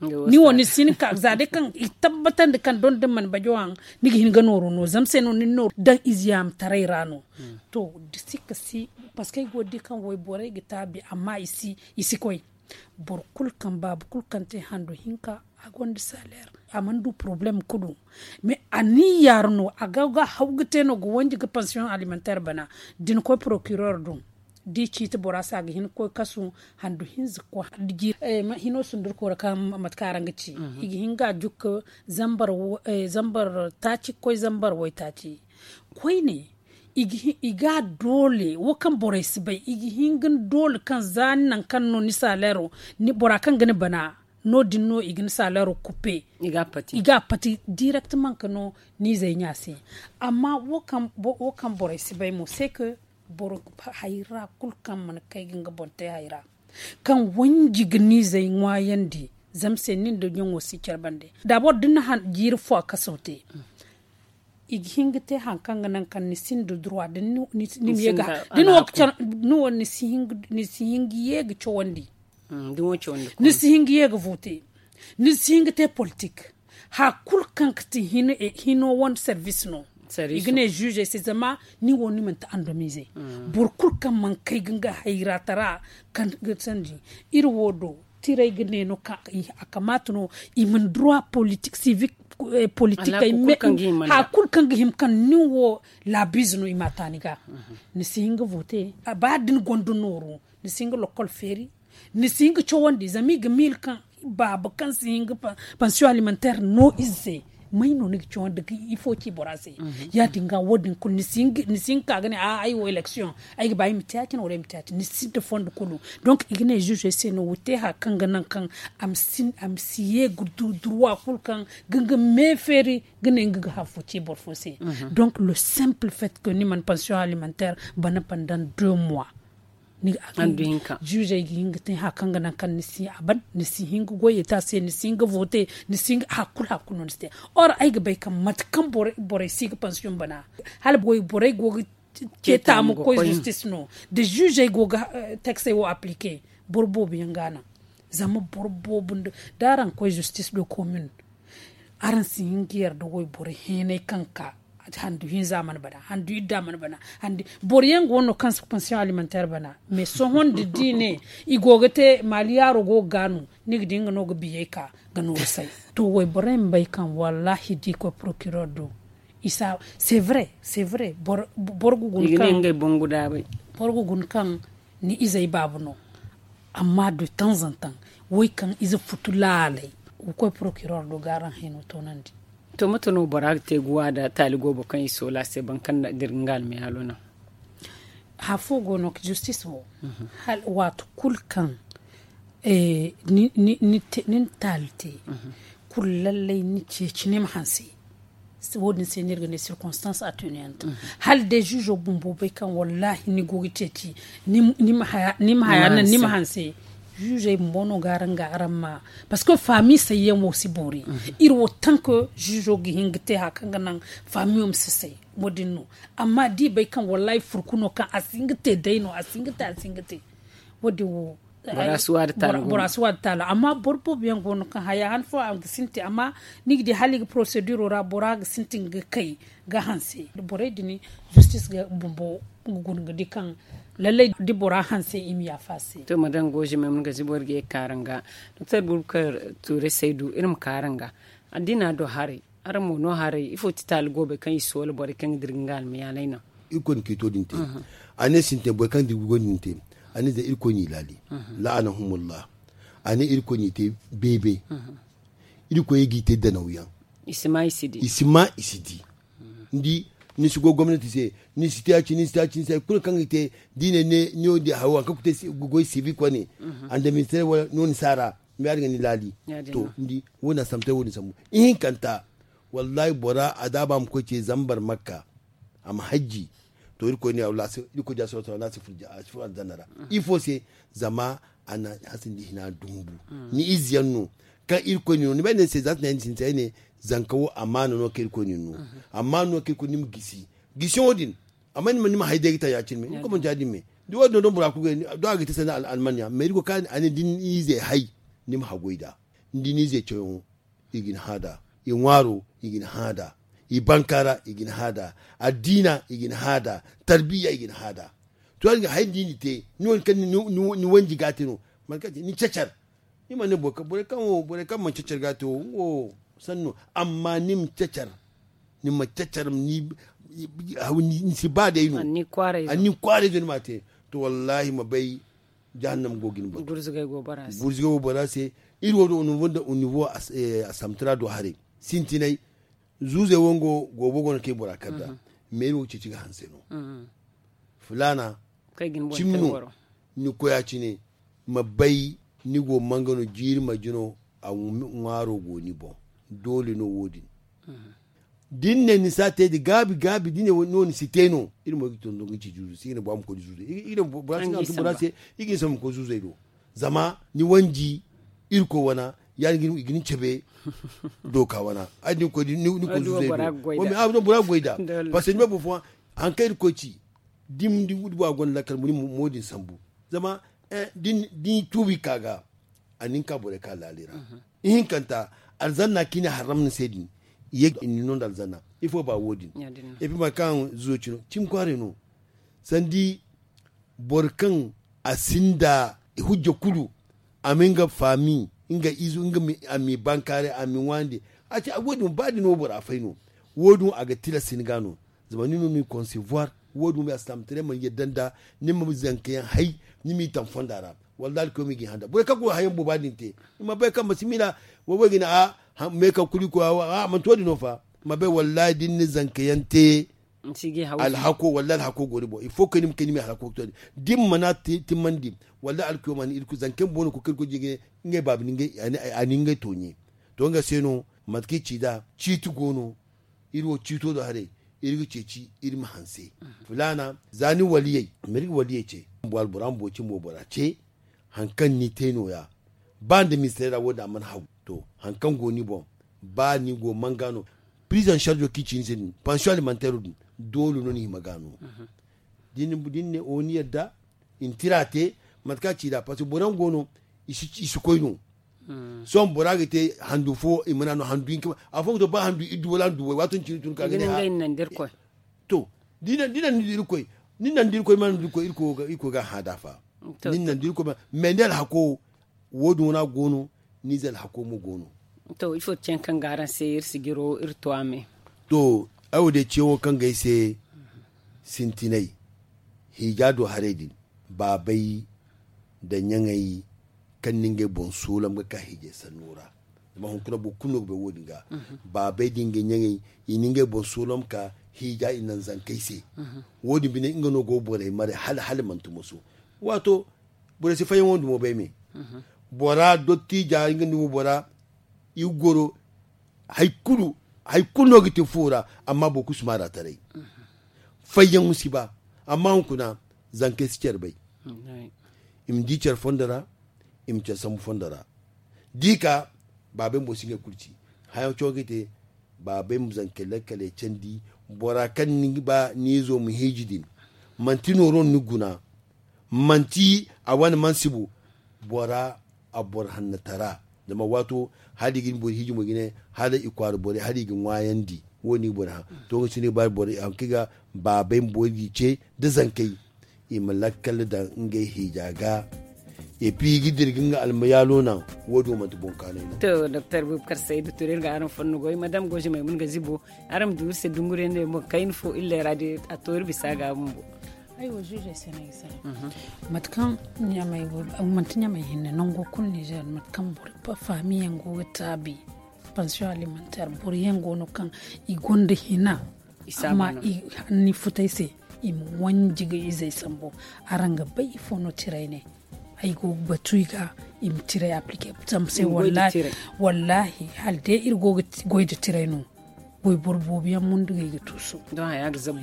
Ni wo ni si hin ka za day kaŋ i tabbatandi kaŋ don da ni mana bajo haŋ ni ga hin ga nooro no zama se no ni nooro daŋ ize yaamataray ra no. To da si ka si parce que ay go ga di kaŋ wayborey ga taabi amma i si koy. Boro kulu kaŋ baaba kulu kaŋ te handu hinka a gonda saleer. A mana du problème kulu mais a ni yaara no a ga ga haw ga te no ga wanji ga pension alimentaire bana. Da ni koy procureur do da i ciiti bora se a ga hin ga koy kasu handu hinza ga koy hino sundurko ra kaŋ mate kaŋ araŋ ga ci i ga hin ga a jukka zambar taaci ga koy zambar waytaaci. Koyne i ga a doole wo kaŋ borey si bay i ga hin ga ni doole kaŋ za ni nangu kaŋ no ni saleero bora kaŋ ga ni bana. No- din no i ga ni saleero kuppe i ga a pati directement ka no ni izey ɲa se. Amma wo kaŋ borey si bay mo se ka boro hayra kulu kaŋ mana kay ga nga boŋ te hayra kaŋ wanji ga ni izey ŋwaayandi. Zama se nin da ɲaŋo si care bande dabor da ni na jiiri fo a kaso te. I ga hin ga te hari kaŋ ga naŋ kaŋ ni sinda droit da ni ma ye ga ni wo ni si hin ga ye ga cawandi. Ni si hin ga ye ga vote ni si hin ga te politik. Hari kulu kaŋ ga ti hino wane service no i ga ne juge se zama ni wo ni manti andomize. Boro kulu kaŋ mana kay ga nga hayratara kaŋ ga sandi iri wo do. Tiray ga ne no kaŋ a kamaata no i mana droit politik sivik politik ay me hari kulu kaŋ ga hima kaŋ ni wo laabiize no i ma a taani ga. Ni si hin ga vote ba da ni gonda nooru ni si hin ga lokol feeri. Ni si hin ga cawandi zama i ga miila kaŋ baaba kaŋ si hin ga pension alimentaire no ize se. May no ni ga cawandi ga ifo ci bora se? Ya- din ga wo- din kulu ni si hin ga ka ga ne a ay wo election ay ga ba ay ma te ya- cine wala ay ma te ya- cine ni sinda fondo kulu. Donc i ga ne juge se no wo te haya kaŋ ga naŋ kaŋ a ma si ye ga du durwa kulu kaŋ ga nga me feeri ga ne nga ga hari fo ci boro fo se. Donc le simple fait que ni mana pension alimentaire bana pandan deux mois. Ni ga a ga hin ga te haya kaŋ ga naŋ kaŋ ni si a ban ni si hin ga goy eta se ni si hin ga vote ni si hin ga hari kulu hari kulu no ni si te. Or ay ga bay kaŋ mate kaŋ borey si ga pension bana hala borey go ga ce taamu ga koy justice no da juge ay go ga taxe ay wo applique. Boro boobo yaŋ ga a naŋ zama boro boobo nda da araŋ ga koy justice do commune araŋ si hin ga yarda wayboro heenay kaŋ ga ka handu hinza mana bana handu idda mana bana. Boro yaŋ go no kaŋ si pension alimentaire bana mais sohõ nda da i ne i go ga te maali yaaro go ga gaanu ni ga di nga no ga biyey ka ga nooru say. To wayborey ma bay kaŋ wallaahi da i koy procureur do. C'est vrai, c'est vrai. Boro ga guna kaŋ ni izey baabu no. Amma de tanzantan way kaŋ ize futu laalay ga koy procureur do ga araŋ hino toonandi. To mate no bora ga te ga wa da taali goobo kaŋ i soola se boro kaŋ dira ga nga almayaalo naŋ? Hari fo go no justice wo waati kulu kaŋ ni na taali te kulu lallay ni ceeci ni ma hanse. Wo- din se no iri ga ne circonstance attenuante. Hala day juge bumbo bay kaŋ wallaahi ni go ga ceeci ni ma haya naŋ ni ma hanse. Juge bumbo no ga araŋ ga araŋ ma parce que faami sayyaŋ wo si boori. Iri wo tant que juge ga hin ga te hari kaŋ ga naŋ faami wo ma si say. Wo- din no. Amma da i bay kaŋ wallaahi furku no kaŋ a si hin ga te day no a si hin ga te a si hin ga te. Wo- din wo bora si wa da taalo amma boro boobo yaŋ go no kaŋ haya han fo a ga sintin amma ni ga di hala i ga proceduro ra bora ga sintin ga kay ga hanse borey din justice ga bumbo ga guna ga di kaŋ lallay da bora hanse i ma yaafa a se. To madame goje me mun ga zibor ga ye ga ka araŋ ga. Doktor burkar tuure saydu iri ma ka araŋ ga addina do haray. Araŋ mo no haray ifo ti taali goobey kaŋ i soola borey kaŋ ga dira ga nga almayaalay naŋ? Irkoy na kiito din te. A ne sintin borey kaŋ ga dira ga goy din te. A ne zama irkoy n'i laali. La'anahumullah. A ne irkoy n'i te beebe. Irkoy ye g'i te danawyaŋ. I si ma i si di. Ni si goy gomnati se ni si te ya- cine ni si te ya- cine ni si te ya- cine kulu kaŋ ga te da i ne ne ni wo di hayo hari kaŋ ga te goy sivik wane. Andamintere wala no ni si a ra. Mbiyaari ga ni laali. To ni di wo- din a sambu te wo- din sambu ihinkanta. Wallaahi bora a daaba ma koy ce zambar makka. A ma hajji. To irkoy ne wallaahi irkoy ja soro soro no a si furo aljanna ra. Ifo se? Zama a na hasindi hina dumbu. Ni ize yaŋ no kaŋ irkoy ne no ni bay ne se za tana yaŋ ni sintin ay ne. Zanka wo amaana no kaŋ irkoy ne no. Amaana no kaŋ irkoy ne ni ma gisi. Gisiyaŋo din. Amma ni ma hay day ga ta ya- cine me ni koy manti ya- din me. Da wo- din no don bora kulu ga ni do a ga te sanda almanniya mais irkoy ka a ne da ni ize hay. Ni ma hagoy nd'a. Ni di ni ize cawyaŋo i ga ni hã nd'a. I ŋwaaro i ga ni hã nd'a. I bankaara i ga ni hã nd'a. Addiina i ga ni hã nd'a. Tarbiya i ga ni hã nd'a. To ya- din ga hay da i na i te ni wane kaŋ ni wanji ga a te no. Mate kaŋ a te ni cacar. Ni mana ne borey kaŋ wo borey kaŋ mana cacar ga a te wo nga wo sanni no. Amma ni ma cacar. Ni ma cacar ni si ba day no. Anni kwaaray zo ni ma a te. To wallaahi ma bay. Jahannam go ga ni batu. Gurzugay go bora se. Iri wo do o nivo nda o nivo a samtara do haray. Sintinay. Zuuzey wango goobo go no kaŋ i bora kar nd'a. Meeri wo ga ceeci ga hanse no. Filaana cimi no. Ni koy a cine ma bay. Ni go manga no jiiri marje no a ŋwaaro go ni boŋ. Doole no wo- din. Da ni ne ni si a te da gaabi gaabi da ni ne no ni si te no. Iri mo ga tondon ga ci zuuzu se i ga ne bora ma koy da zuuzu i ga ne bora se. I ga ni sambu ma koy zuuzey do. Zama ni wanji irkoy wana ya- din i ga ni cabe. Dooka wana ay da ni koy da ni koy zuuzey do. Bora ga goy nd'a. Parce que ni bay boro fooyaŋ hari kaŋ irkoy ci da ni di bora gonda lakkal mo ni ma mo- din sambu. Zama da ni tuubi ka ga a na ni ka borey ka laali ra. Ihinkanta alzanna kaŋ i na haram ni se din. Ye i na ni no nda alzanna. Ifo ba wo- din? Epi mate kaŋ zuuzo ci no cimi kwaaray no. Sandi boro kaŋ a sinda hujja kulu. A ma nga faami nga izo nga a m'i bankaaray a m'i ŋwaandi. A ci wo- din ba da ni wo bora fay no. Wo- din a ga tilas ni ga no. Zama ni no ni concevoir. Wo- din a si tamtaray mana yadda nda ni ma zankayaŋ hay. Ni m'i taŋ fonda ra. Wallaahi alkawma i g'i hã nd'a borey kaŋ go ga hayaŋ booba din te. I ma bay kaŋ ma si miila. Wo- wo i ga ne a Me kaŋ kulu i koy a manti wo- din no fa. Ma bay wallahi da ni na zanka yaŋ te. Alhako wallahi alhako go ni boŋ il faut que ni ma kay ni ma alhako to. Da ni mana timmandi wallahi alkiyo ma ni irkoy zanka yaŋ boŋ no koy kaŋ irkoy jingay ngey baabi ni ngey a ni ngey tooɲe. To nga se no mate kaŋ i ci nd'a ciiti go no. Iri wo ciito do haray iri ga ceeci iri ma hanse. Filaana za ni waliyey ma iri ga waliyey ce. Bumbo albora ma boro cimbo bora ce. Hari kaŋ ni te no- ya ba nda ministeer ra wo- din a mana hagu. To hari kaŋ go ni boŋ ba ni go manga no. Prizon sarjo kaŋ i ci ni se din pansiyoŋ alimanteero din doole no ni hima ga no. Da ni ne o ni yadda i na tira te mate kaŋ a ci nd'a parceque boro yaŋ go no i si koy no. Sohõ bora ga te handu fo i mana no handu hinka afooyaŋ ga to ba handu iddu wala handu way waato ni cine tun ka ga ne. To da i naŋ da irkoy ni naŋ da irkoy mana da irkoy irkoy ga a hã da fa. Ni naŋ da irkoy mana mais ni alhako wo- din wana go no. Ni ize alhako mo go no. To ifo ti caŋ kaŋ ga araŋ se iri si jiro iri to a me. To ay wo day ciyaŋo kaŋ ga ay se sintinay hiija do haray din baabay nda ɲaŋey kaŋ na ngey boŋ soolam ga ka hiijay sanno ra. Zama hunkuna boro kulu no ga bay wo- din ga baabey da ngey ɲaŋey i na ngey boŋ soolam ka hiija i naŋ zankey se. Wo- din bine nga no go borey mare hala hala manti moso. Waato borey si fayyaŋo nda mo bay me. Bora dottija nga nda mo bora i ga goro hari kulu no ga te fuwo ra. Amma boro kulu si maara taray fayyaŋo si ba. Amma hunkuna zankey si care bay. I ma di care fondo ra i ma care sambu fondo ra. Da i ka baabey bumbo si ngey kulu ci. Haya cawo ga i te baabey ma zankey lakkaley candi. Bora kaŋ ni ga ba ni izo ma hiiji din manti nooro no ni ga guna. Manti a wane mansibo bora a boro hanna tara. Zama waato hala i ga ni boro hiiji mo ga ne hala i kwaara borey hala i ga ŋwaayandi. Wo- din i ga boro hã to nga si no i ga ba boro haŋ kaŋ i ga baabey ma boro ga i ce nda zankey i ma lakkal daŋ ngey hiija ga. Epi i ga dira ga nga almayaalo naŋ. Wo- din wo manti boŋ kaanay no. To doktor bubakar saydu ture iri ga araŋ fonno goy madam goozimey mun ga zibo. Araŋ ma du iri se dunguriyaŋ no yaŋ boŋ kayna fo illa ra day a to iri bisa ga bumbo. Ay wo zuuzey se no ay ga salaŋ. Mate kaŋ ɲamey go manti ɲamey hinne nango kulu nizeer mate kaŋ boro faamiyaŋ go ga taabi. Pansiyoŋ alimanteer boro yaŋ go no kaŋ i gonda hina. Amma i hanni futay se i ma wanji ga izey sambu. Araŋ ga bay ifo no tiray ne? Ay go ga batu i ga i ma tiray aplike. Zama se wallahi hala day iri go ga goy nda tiray no. Wayboro boobo yaŋ mundu ga i ga tuusu.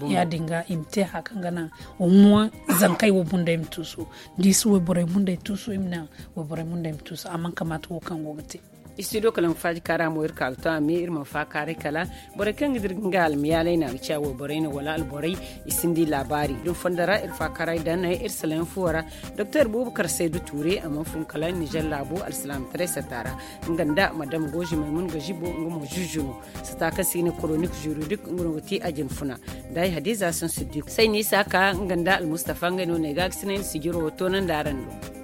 Ya- din ga i ma te haya kaŋ ga naŋ omo zankey wo bunda i ma tuusu. Da i si wayborey munda i tuusu i ma naŋ wayborey munda i ma tuusu a mana kamaata wo kaŋ go ga te. Studio kala ma faaji kaara mo iri ka ga to a me iri mana faakaaray kala borey kaŋ ga dira ga nga almayaalay no a ga ciya wayborey no wala alborey. I sinda i laabaari da ni fondo ra iri faakaaray daŋ naŋ iri salaŋ yaŋ fuwo ra. Doktor bubakar saydu tuure a mana fun kala nizer laabo alsilaamataray sata ra. Nga nda madam goozimey mun ga zibo nga mo zuuzu no. Sata kaŋ se i ga ne koronik zuridik nga no ga te a jina funa. Da ay hadiza saŋ siddiku say no isa ka nga nda almustafa ngey no no ay ga ga sinay ni sijiro wo toonandi araŋ do.